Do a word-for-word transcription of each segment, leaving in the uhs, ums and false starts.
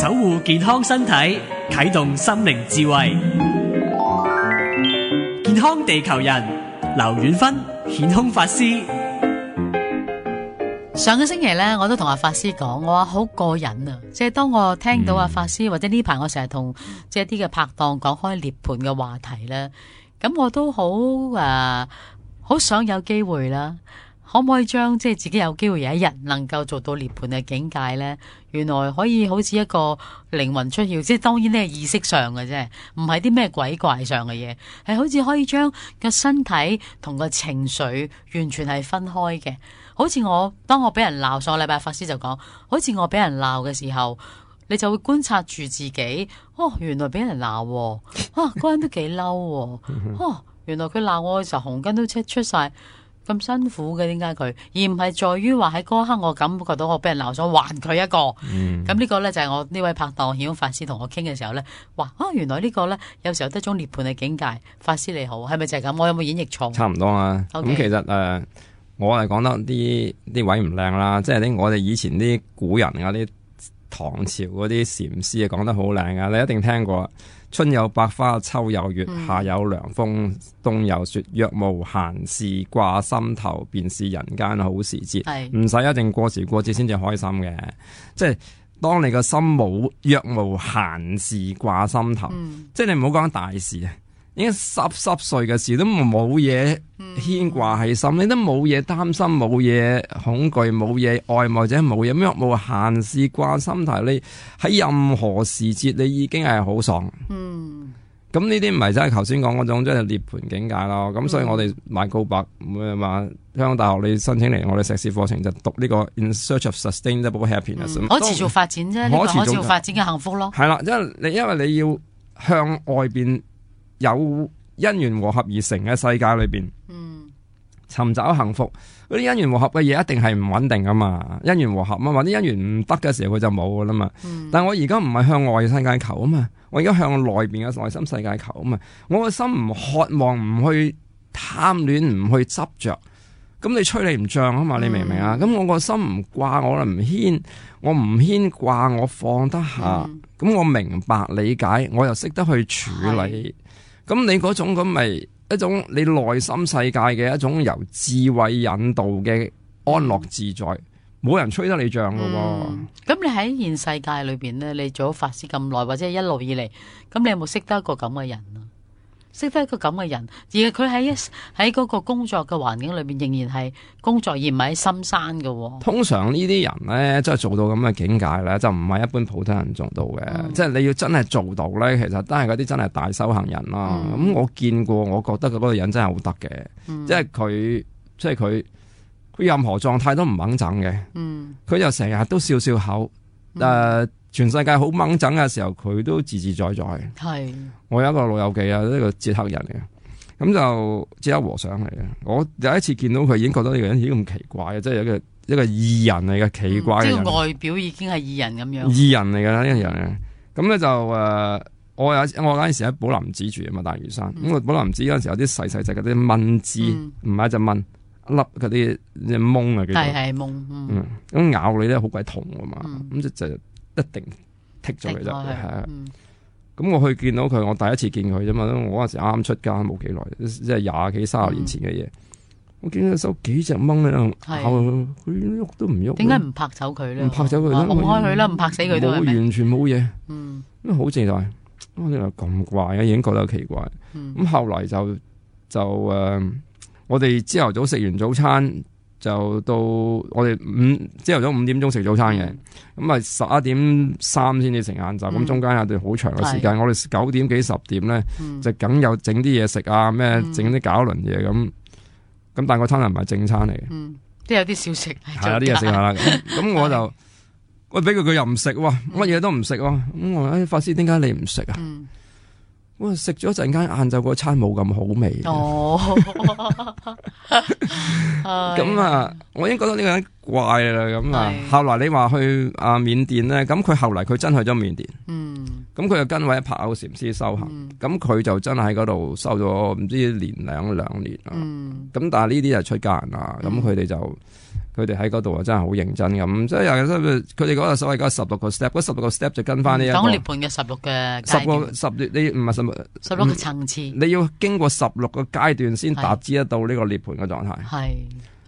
守護健康身體，啟動心靈智慧。健康地球人，劉遠芬顯空法師。上個星期咧，我都同阿法師講，我話好過癮啊！即係當我聽到阿法師、嗯、或者呢排我成日同即係啲嘅拍檔講開涅槃嘅話題咧，咁我都好誒，好、呃、想有機會啦。可唔可以將即係自己有機會有一日能夠做到涅槃嘅境界呢？原來可以好似一個靈魂出竅，即係當然呢係意識上嘅啫，唔係啲咩鬼怪上嘅嘢，係好似可以將個身體同個情緒完全係分開嘅。好似我當我俾人鬧，上個禮拜法師就講，好似我俾人鬧嘅時候，你就會觀察住自己，哦，原來俾人鬧，啊，嗰人都幾嬲，哦，原來佢鬧我嘅時候紅筋都出出晒。咁辛苦嘅，點解佢？而唔係在於話喺嗰一刻我感覺到我俾人鬧，想還佢一個。咁、嗯、呢個咧就係我呢位拍檔顯空法師同我傾嘅時候咧，話啊原來呢個咧有時候得種涅槃嘅境界。法師你好，係咪就係咁？我有冇演繹錯？差唔多啦。咁、okay. 其實誒、呃，我係講得啲啲位唔靚啦，即係啲我哋以前啲古人啊，啲唐朝嗰啲禪師啊講得好靚啊，你一定聽過。春有百花，秋有月，夏有涼風，冬有雪。若無閒事掛心頭，便是人間好時節。唔使一定過時過節先至開心嘅，即係當你個心冇若無閒事掛心頭，嗯、即係你唔好講大事啊，已經濕濕碎嘅事都冇嘢牽掛喺心，你都冇嘢擔心，冇嘢恐懼，冇嘢愛慕，或者冇嘢若無閒事掛心頭，你喺任何時節你已經係好爽。嗯，咁呢啲唔係真係頭先講嗰種即係涅槃境界咯。咁、嗯、所以我哋買告白咁話，香港大學你申請嚟我哋碩士課程就讀呢個 In Search of Sustainable Happiness，可、嗯、持續發展啫，呢、這個可持續發展嘅幸福咯。係啦，因為你因為你要向外邊有因緣和合而成嘅世界裏邊，嗯，尋找幸福。嗰啲因緣和合嘅嘢一定係唔穩定噶嘛，因緣和合啊嘛，啲因緣唔得嘅時候佢就冇噶啦嘛。嗯、但係我而家唔係向外世界求啊嘛，我而家向內邊嘅內心世界求啊嘛。我個心唔渴望，唔去貪戀，唔去執着，咁你吹你唔脹啊嘛，你明唔明啊？咁、嗯、我個心唔掛，我唔牽，我唔牽掛，我放得下，咁、嗯、我明白理解，我又識得去處理。咁你嗰種咁咪一種你內心世界嘅一種由智慧引導嘅安樂自在，冇、嗯、人吹得你脹噶喎。咁、嗯、你喺現世界裏邊咧，你做咗法師咁耐，或者一路以嚟，咁你有冇識得一個咁嘅人啊？識得一個咁嘅人，而佢喺一喺嗰個工作嘅環境裏邊，仍然係工作，而唔係喺深山嘅、哦。通常呢啲人咧，即係做到咁嘅境界咧，就唔係一般普通人做到嘅。嗯、即係你要真係做到咧，其實都係嗰啲真係大修行人啦。咁、嗯、我見過，我覺得嗰個人真係好得嘅，即係佢，即係佢，佢任何狀態都唔掹整嘅。佢、嗯、就成日都笑笑口，誒、嗯。呃全世界好掹整嘅時候，佢都自自在在。係，我有一個老友記啊，呢、這個捷克人嚟嘅，咁就捷克和尚嚟嘅。我第一次見到佢，已經覺得呢個人已經咁奇怪嘅，即係一個一個異人嚟嘅，奇怪嘅人。嗯、即係外表已經係異人咁樣。異人嚟嘅啦，呢、這個人。咁咧就誒、呃，我有我嗰陣時喺寶林寺住啊嘛，大嶼山。咁、嗯、我寶林寺嗰陣時有啲細細隻嗰啲蚊滋，唔係一隻蚊，一粒嗰啲隻蚊啊，叫做係係蚊。嗯，咁、嗯、咬你咧好鬼痛啊嘛，咁、嗯、就就。一定剔咗佢就係啊！咁、嗯、我去見到佢，我第一次見佢啫嘛。我嗰陣時啱啱出家冇幾耐，即係廿幾三十年前嘅嘢、嗯。我見到收幾隻蚊喺度咬佢，喐都唔喐。點解唔拍走佢咧？唔拍走佢，拱開佢啦，唔拍死佢都係咪？完全冇嘢。嗯，因為好自在。我哋話咁怪啊，已經覺得奇怪。咁、嗯、後來就就誒、呃，我哋朝頭早食完早餐。就到我哋五朝頭早五點鐘食早餐嘅，咁啊十一點三先至食晏晝，咁、嗯、中間有段好長嘅時間。我哋九點幾十點咧、嗯，就梗有整啲嘢食啊，咩整啲搞輪嘢咁。咁、嗯、但係個餐又唔係正餐嚟嘅，都、嗯、有啲小食。係啊，啲嘢食下啦。咁我就喂俾佢，佢又唔食喎，乜嘢都唔食喎。咁我話：哎，法師點解你唔食啊？嗯我食咗陣間，晏晝嗰餐冇咁好味。哦，咁啊，我已經覺得呢個人怪啦。咁啊，後來你話去啊緬甸咧，咁佢後嚟佢真去咗緬甸。嗯，咁佢就跟位柏偶禪師修行，咁、嗯、佢就真喺嗰度修咗唔知年兩兩年啦。嗯，咁但係呢啲係出家人啦，咁佢哋就佢哋喺嗰度啊，真係好認真咁，即係佢哋嗰個所謂嗰十六個 step，嗰十六個 step 就跟翻呢一個。講涅槃嘅十六嘅十個十你唔係十十六個層次，你要經過十六個階段先達至得到呢個涅槃嘅狀態。係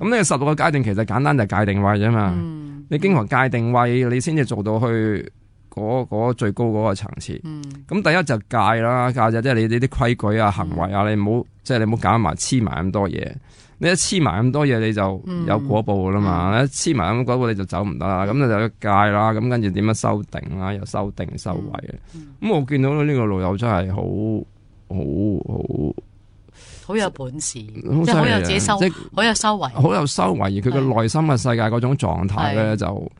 咁呢個十六個階段其實簡單就係界定位啫嘛。嗯、你經過界定位，你先至做到去嗰、嗰個、最高嗰個層次。咁、嗯、第一就戒啦，戒就即係你呢啲規矩啊、行為啊，嗯、你唔好即係你唔好搞埋黐埋咁多嘢。你一黐埋咁多嘢，你就有果報噶啦嘛。嗯、一黐埋咁果報，你就走唔得啦。咁你就要戒啦。咁跟住點樣修定啦？又修定修慧嘅。咁、嗯嗯、我見到呢個老友真係好好好好有本事，即係係好有自己修，好有修為，好有修為。而佢嘅內心嘅世界嗰種狀態咧，就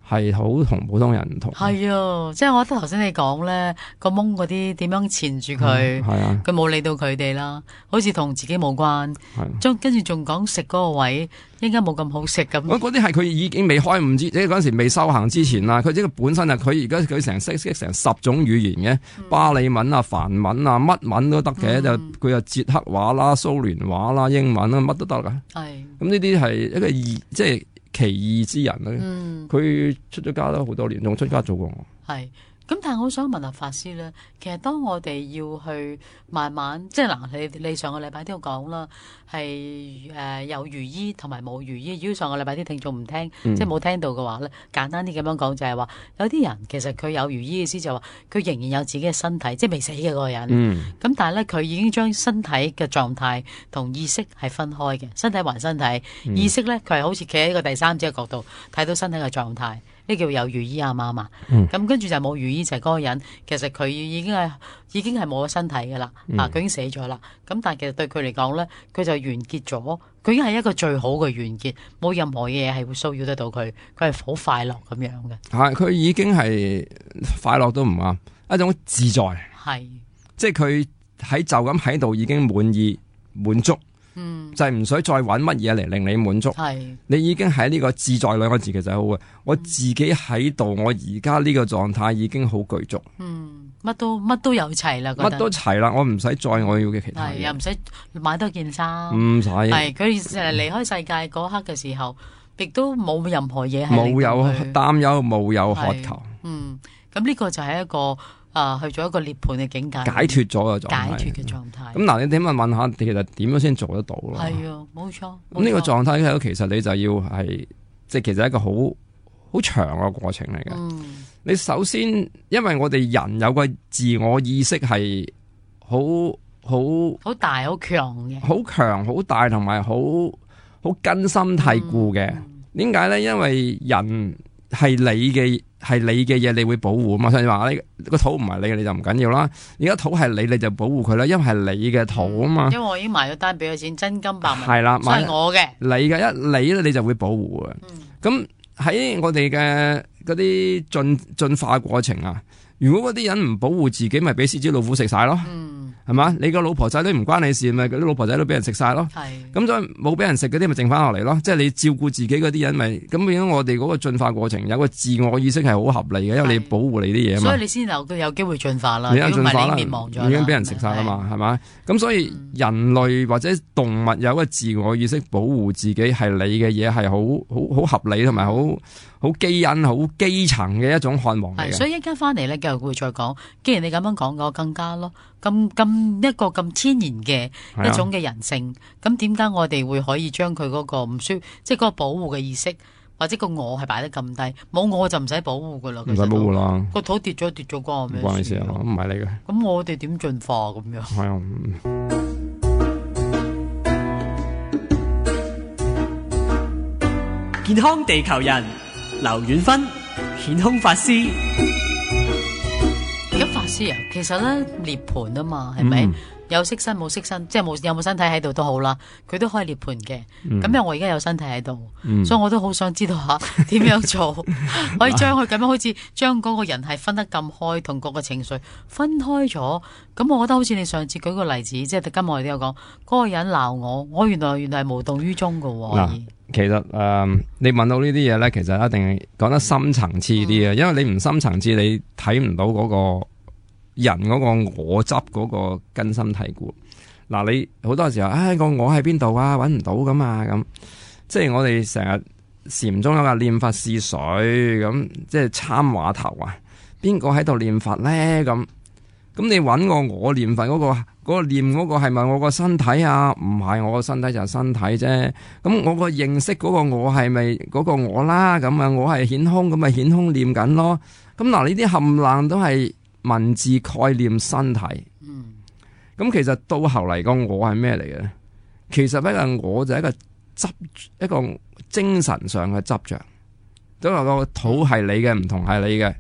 係好同普通人唔同。係啊，即係我覺得頭先你講咧，個蒙嗰啲點樣纏住佢，佢冇、啊、理到佢哋啦，好似同自己冇關。將、啊、跟住仲講食嗰個位，應該冇咁好食咁。嗰啲係佢已經未開悟之，即係嗰陣時未修行之前啦。佢即係本身啊，佢而家佢成識識成十種語言嘅，嗯、巴利文啊、梵文啊、乜文都得嘅。嗯、就佢又捷克話啦、蘇聯話啦、英文啦，乜都得噶。係咁呢啲係一個異，即係。奇異之人咧，佢、嗯、出咗家都好多年，仲出家做過我。係咁，但係我想問下法師咧，其實當我哋要去慢慢，即係嗱，你你上個禮拜都有講啦，係誒、呃、有如醫同埋冇如醫。如果上個禮拜啲聽眾唔聽，嗯、即係冇聽到嘅話咧，簡單啲咁樣講就係話，有啲人其實佢有如醫嘅意思就話，佢仍然有自己嘅身體，即係未死嘅嗰個人。咁、嗯、但係咧，佢已經將身體嘅狀態同意識係分開嘅，身體還身體，嗯、意識咧佢係好似企喺一個第三者嘅角度睇到身體嘅狀態。呢叫有如醫啊嘛嘛，咁、嗯、跟住就冇如醫就係嗰個人，其實佢已經係已經係冇咗身體噶啦，嗯、啊佢已經死咗啦。咁但係其實對佢嚟講咧，佢就完結咗，佢已經係一個最好嘅完結，冇任何嘢係會騷擾得到佢，佢係好快樂咁樣嘅。係佢已經係快樂都唔啱，一種自在，係是即係佢喺就咁喺度已經滿意滿足。嗯，就係唔使再揾乜嘢嚟令你滿足，係是你已經喺呢個自在兩個字其實好嘅。我自己喺度，我而家呢個狀態已經好具足，嗯，乜都乜都有齊啦，乜都齊啦，我唔使再我要嘅其他嘢，又唔使買多件衫，唔使係佢誒離開世界嗰刻嘅時候，亦都冇任何嘢係冇有擔憂，冇有渴求，嗯，咁呢個就係一個。啊，去咗一個涅槃嘅境界，解脫咗嘅狀態，解脫嘅狀態。咁嗱，你點問問下，其實點樣先做得到咯？係啊，冇錯。咁呢個狀態咧，其實你就要係，即係其實係一個好好長嘅過程嚟嘅。嗯、你首先，因為我哋人有個自我意識係好好好大、好強嘅，好強、好大，同埋好好根深蒂固嘅。點解咧？因為人係你嘅。係你嘅嘢，你會保護啊嘛。所以話你個土唔係你嘅，你就唔緊要啦。而家土係你，你就保護佢啦。因為係你嘅土啊嘛、嗯。因為我已經埋咗單俾咗錢，真金白銀係啦，係我嘅。你嘅一你咧，你就會保護嘅。咁喺、嗯、我哋嘅嗰啲進進化過程啊，如果嗰啲人唔保護自己，咪俾獅子老虎食晒咯。嗯係嘛？你個老婆仔女唔關你事，咪嗰啲老婆仔女俾人食晒咯。係咁，所以冇俾人食嗰啲咪剩翻落嚟咯。即係你照顧自己嗰啲人，咪咁變咗我哋嗰個進化過程有個自我意識係好合理嘅，因為你保護你啲嘢嘛。所以你先有都有機會進化啦。如果唔係你滅亡咗，已經俾人食晒啦嘛，係咪？咁所以人類或者動物有個自我意識保護自己係你嘅嘢，係好好好合理同埋好好基因好基層嘅一種渴望嚟嘅。所以一陣間翻嚟咧，繼續會再講。既然你咁樣講嘅，我更加咯。咁咁一個咁天然嘅一種嘅人性，咁點解我哋會可以將佢嗰個唔需，即係嗰個保護嘅意識，或者個我係擺得咁低？冇我就唔使保護噶啦，唔使保護啦。個土跌咗跌咗關我咩事？唔關你事啊，唔係你嘅。咁我哋點進化咁樣？係啊。健康地球人，劉遠芬，顯空法師。咁法師啊，其實咧涅槃啊嘛，係咪、嗯、有色身冇色身，即係冇有冇身體喺度都好啦，佢都可以涅槃嘅。咁、嗯、因為我而家有身體喺度，嗯、所以我都好想知道下點樣做，可以將佢咁樣好似將嗰個人係分得咁開，同嗰個情緒分開咗。咁我覺得好似你上次舉個例子，即係今日我哋都有講，嗰、嗰個人鬧我，我原來原來係無動於衷噶。嗱，其實誒、呃，你問到呢啲嘢咧，其實一定係講得深層次啲嘅，嗯、因為你唔深層次，你睇唔到嗰、嗰個。人嗰個我執嗰個根深蒂固，嗱，你好多時候，唉、哎，個我喺邊度啊？搵唔到噶嘛咁，即係我哋成日禪宗有個念佛試水咁，即係參話頭啊，邊個喺度念佛咧？咁咁你揾個我念佛嗰、嗰個嗰、嗰個念嗰個係咪我個身體啊？唔係，我個身體就係身體啫。咁我個認識嗰個我係咪嗰個我啦？咁啊，我係顯空，咁咪顯空念緊咯。咁嗱，呢啲冚唪唥都係文字概念身體。嗯。咁其實到後嚟個我係咩嚟嘅？其實一個我就係一個執一個精神上嘅執着，都話個土係你嘅，唔同係你嘅。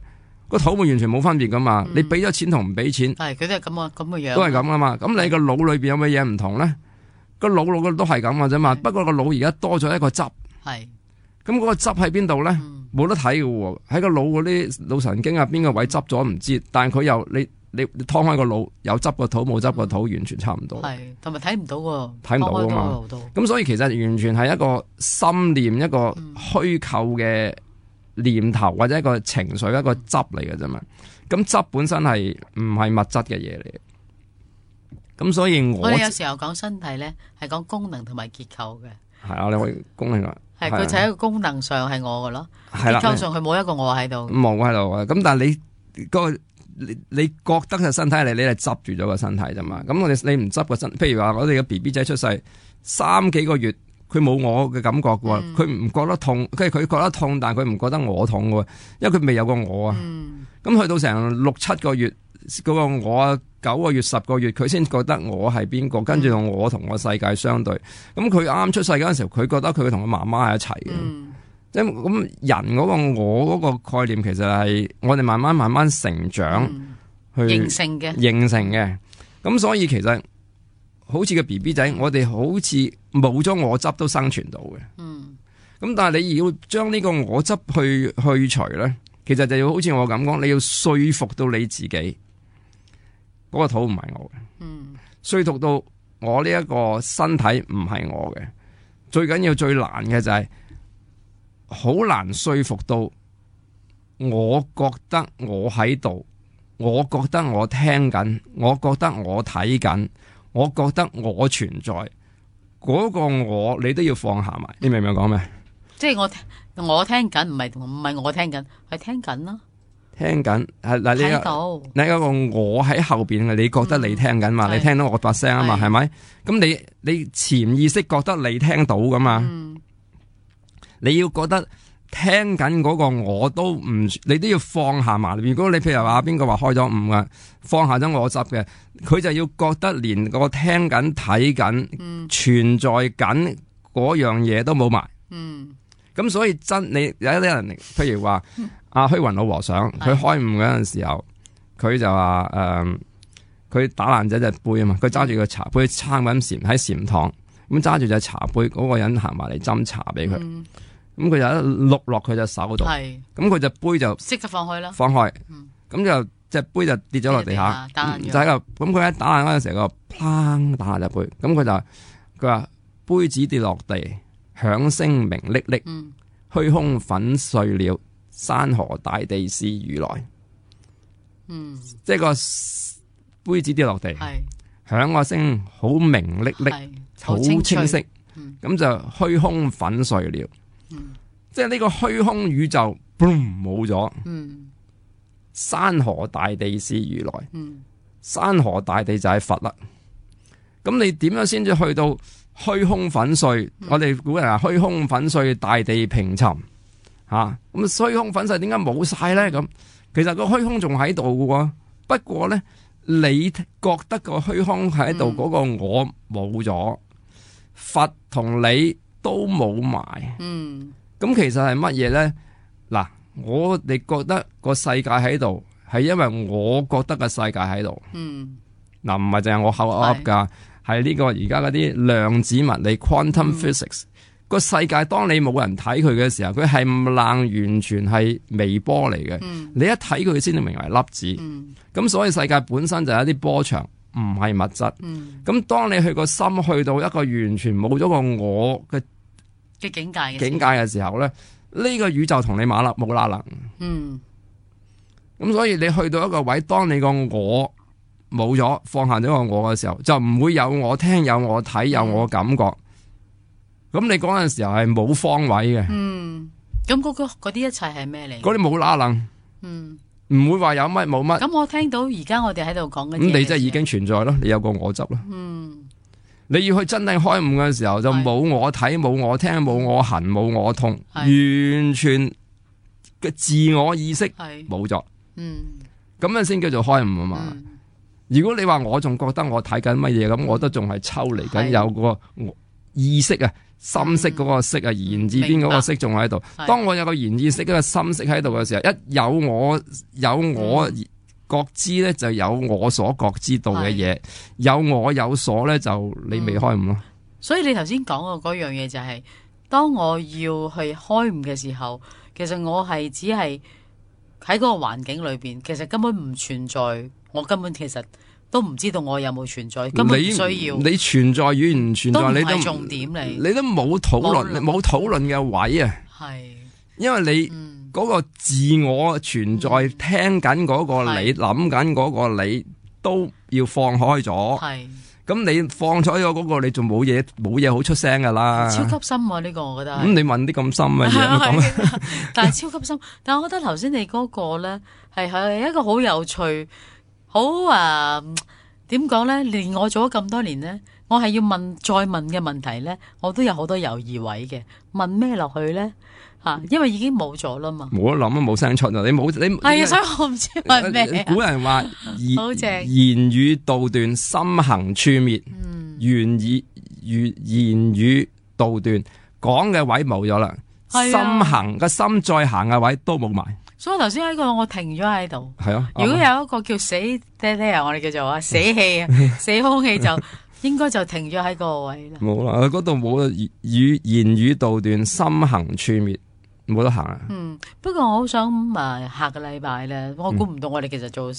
個肚完全冇分別噶嘛，嗯、你俾咗錢同唔俾錢，係佢都係咁啊咁嘅樣，都係咁噶嘛。咁你個腦裏邊有乜嘢唔同咧？個腦腦嘅都係咁嘅啫嘛。不過個腦而家多咗一個汁，係咁嗰個汁喺邊度咧？冇、嗯、得睇嘅喎，喺個腦嗰啲腦神經啊，邊個位執咗唔知，但係佢又你你你劏開個腦，有執個肚冇執個肚，完全差唔多。係同埋睇唔到喎，睇唔到啊嘛。咁所以其實完全係一個心念，一個虛構嘅念頭或者一個情緒，一個汁嚟嘅啫嘛，咁汁本身係唔係物質嘅嘢嚟嘅，咁所以我我哋有時候講身體咧，係講功能同埋結構嘅。係啊，你可以功能啊，係佢就喺一個功能上係我嘅咯，結構上佢冇一個我喺度，冇喺度啊。咁但係你嗰個你你覺得係身體嚟，你係執住咗個身體啫嘛。咁我哋你唔執個身，譬如話我哋嘅 B B 仔出世三幾個月。佢冇我嘅感覺嘅喎，佢唔、嗯、覺得痛，即係佢覺得痛，但係佢唔覺得我痛嘅喎，因為佢未有個我啊。咁、嗯、去到成六七個月嗰、嗰個我啊，九個月十個月，佢先覺得我係邊個，跟住我同個世界相對。咁佢啱啱出世嗰陣時候，佢覺得佢同個媽媽係一齊嘅。即係咁人嗰個我嗰個概念，其實係我哋慢慢慢慢成長、嗯、去形成嘅，形成嘅。咁所以其實。好似個 B B 仔，我哋好似冇咗我執都生存到嘅。嗯。咁但係你要將呢個我執去去除咧，其實就要好似我咁講，你要說服到你自己，嗰、嗰個肚唔係我嘅。嗯。說服到我呢一個身體唔係我嘅，最緊要最難嘅就係、是、好難說服到，我覺得我喺度，我覺得我聽緊，我覺得我睇緊。我覺得我存在嗰、那個我，你都要放下埋。你明唔明講咩？即係我我聽緊，唔係唔係我聽緊，係聽緊咯。聽緊係嗱，你有你有個我喺後邊嘅，你覺得你聽緊嘛？嗯、你聽到我把聲啊嘛？係咪？咁你你潛意識覺得你聽到噶嘛？嗯、你要覺得聽緊嗰個我都唔，你都要放下埋。如果你譬如話邊個話開咗悟嘅，放下咗我執嘅。佢就要覺得連個聽緊睇緊存在緊嗰樣嘢都冇埋，咁、嗯、所以真你有一啲人，譬如話阿虛雲老和尚，佢開悟嗰陣時候，佢就話誒，佢、呃、打爛咗隻杯啊嘛，佢揸住個茶杯撐緊禪喺禪堂，咁揸住隻茶杯，嗰、那個人行埋嚟斟茶俾佢，咁佢、嗯、就一碌落佢隻手度，咁佢隻杯就識得放開啦，放開，咁、嗯、就。隻杯就跌咗落地下，就喺個咁佢一打爛嗰陣時，個砰打爛隻杯，咁佢就佢話杯子跌落地，響聲鳴搦搦，虛、嗯、空粉碎了，山河大地是如來。嗯，即係個杯子跌落地，響個聲好明搦搦，好清晰，咁、嗯、就虛空粉碎了。嗯、即係呢個虛空宇宙，boom 冇咗。嗯。山河大地是如來，嗯、山河大地就係佛啦。咁你點樣先至去到虛空粉碎？嗯、我哋古人話虛空粉碎，大地平沉。吓、啊，咁虛空粉碎點解冇晒咧？咁其實個虛空仲喺度嘅，不過咧，你覺得個虛空喺度嗰個我冇咗，嗯、佛同你都冇埋。嗯，咁其實係乜嘢咧？嗱。我哋覺得個世界喺度，係因為我覺得個世界喺度。嗯，嗱唔係淨係我口噏噶，係呢個而家嗰啲量子物理 （quantum physics） 個、嗯、世界。當你冇人睇佢嘅時候，佢係唔冷，完全係微波嚟嘅。嗯、你一睇佢先至明為粒子。咁、嗯、所以世界本身就係一啲波長，唔係物質。咁、嗯、當你去個心去到一個完全冇咗個我嘅嘅境界境界嘅時候咧。呢個宇宙同你馬立冇拉能，嗯，咁所以你去到一個位，當你個我冇咗，放下咗個我嘅時候，就唔會有我聽，有我睇，有我感覺，咁你嗰陣時候係冇方位嘅，嗯，咁嗰個嗰啲一切係咩嚟？嗰啲冇拉楞，嗯，唔會話有乜冇乜。咁我聽到而家我哋喺度講緊，咁你即係已經存在咯，你有個我執咯。嗯，你要去真正開悟嘅時候，就冇我睇，冇我聽，冇我行，冇我痛，完全嘅自我意識冇咗。嗯，咁樣先叫做開悟啊嘛。嗯、如果你話我仲覺得我睇緊乜嘢，咁、嗯、我都仲係抽離緊，有個意識啊。心識嗰個識啊，言字邊嗰個識仲喺度。當我有個言意識、嗰個心識喺度嘅時候，一有我有我覺知咧，就有我所覺知道嘅嘢。有我有所咧，就你未開悟咯、嗯。所以你頭先講嘅嗰樣嘢就係、是，當我要去開悟嘅時候，其實我係只係喺嗰個環境裏邊，其實根本唔存在，我根本其實。都唔知道我有冇存在，根本唔需要。你，你存在與唔存在，都唔你都係重點嚟。你都冇討論，冇討論嘅位啊。係，因為你嗰個自我存在，嗯、聽緊嗰個你，諗緊嗰個你，都要放開咗。係，咁你放咗咗嗰個，你仲冇嘢，冇嘢好出聲噶啦。超級深啊！呢、這個我覺得。咁、嗯、你問啲咁深嘅嘢，但係超級深。但係我覺得頭先你嗰個咧，係係一個好有趣。好啊，點講咧？連我做咗咁多年咧，我係要問再問嘅問題咧，我都有好多猶豫位嘅。問咩落去咧？吓、啊，因為已經冇咗啦嘛。冇得諗啊，冇聲出啊！你冇你係啊，所以我唔知問咩。古人話言言語道斷，心行處滅。嗯，言語語言語道斷，講嘅位冇咗啦，心行個心再行嘅位都冇埋。所以頭先喺個我停咗喺度。係啊，如果有一個叫死爹爹啊，我哋叫做啊死氣啊，死空氣就應該就停咗喺個位啦。冇啦，嗰度冇語語言語道斷，心行處滅。冇得行啊！嗯，不過我好想誒、呃，下個禮拜咧，我估唔到我哋其實做、嗯、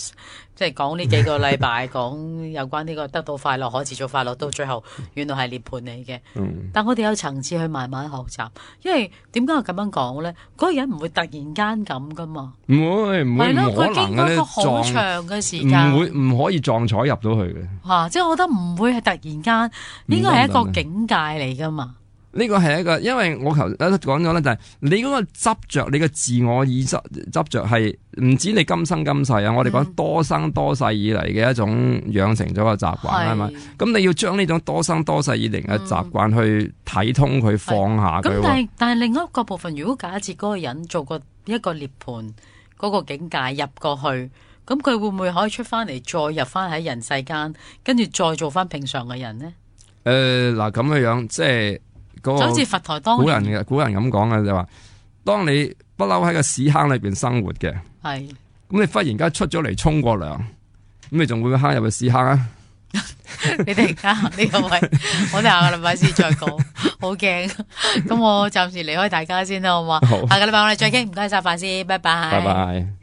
即係講呢幾個禮拜講有關呢個得到快樂、可持續快樂，到最後原來係涅槃嚟嘅。嗯，但我哋有層次去慢慢學習，因為點解我咁樣講咧？嗰、那個人唔會突然間咁噶嘛，唔會唔會，唔可能嘅，佢經過一個好長嘅時間，唔會唔可以撞彩入到去嘅。吓、啊，即係我覺得唔會係突然間，應該係一個境界嚟噶嘛。呢個係一個，因為我頭先講咗咧，就係你嗰個執着，你嘅自我意執執着係唔止你今生今世啊！我哋講多生多世以嚟嘅一種養成咗個習慣係咪？咁你要將呢種多生多世以嚟嘅習慣去睇通佢、嗯、放下佢。咁但係但係另一個部分，如果假設嗰個人做過一個涅槃嗰個境界入過去，咁佢會唔會可以出翻嚟，再入翻喺人世間，跟住再做翻平常嘅人呢？誒嗱咁嘅樣，即係。那個、就好似佛台當古人嘅古人咁講嘅就話，當你不嬲喺個屎坑裏邊生活嘅，係咁你忽然間出咗嚟沖個涼，咁你仲會唔會坑入去屎坑啊？你突然間呢個位，我哋下個禮拜先再講，好驚。咁我暫時離開大家先啦，好嘛？好，下個禮拜我哋再傾，唔該晒，范師，拜拜。拜拜。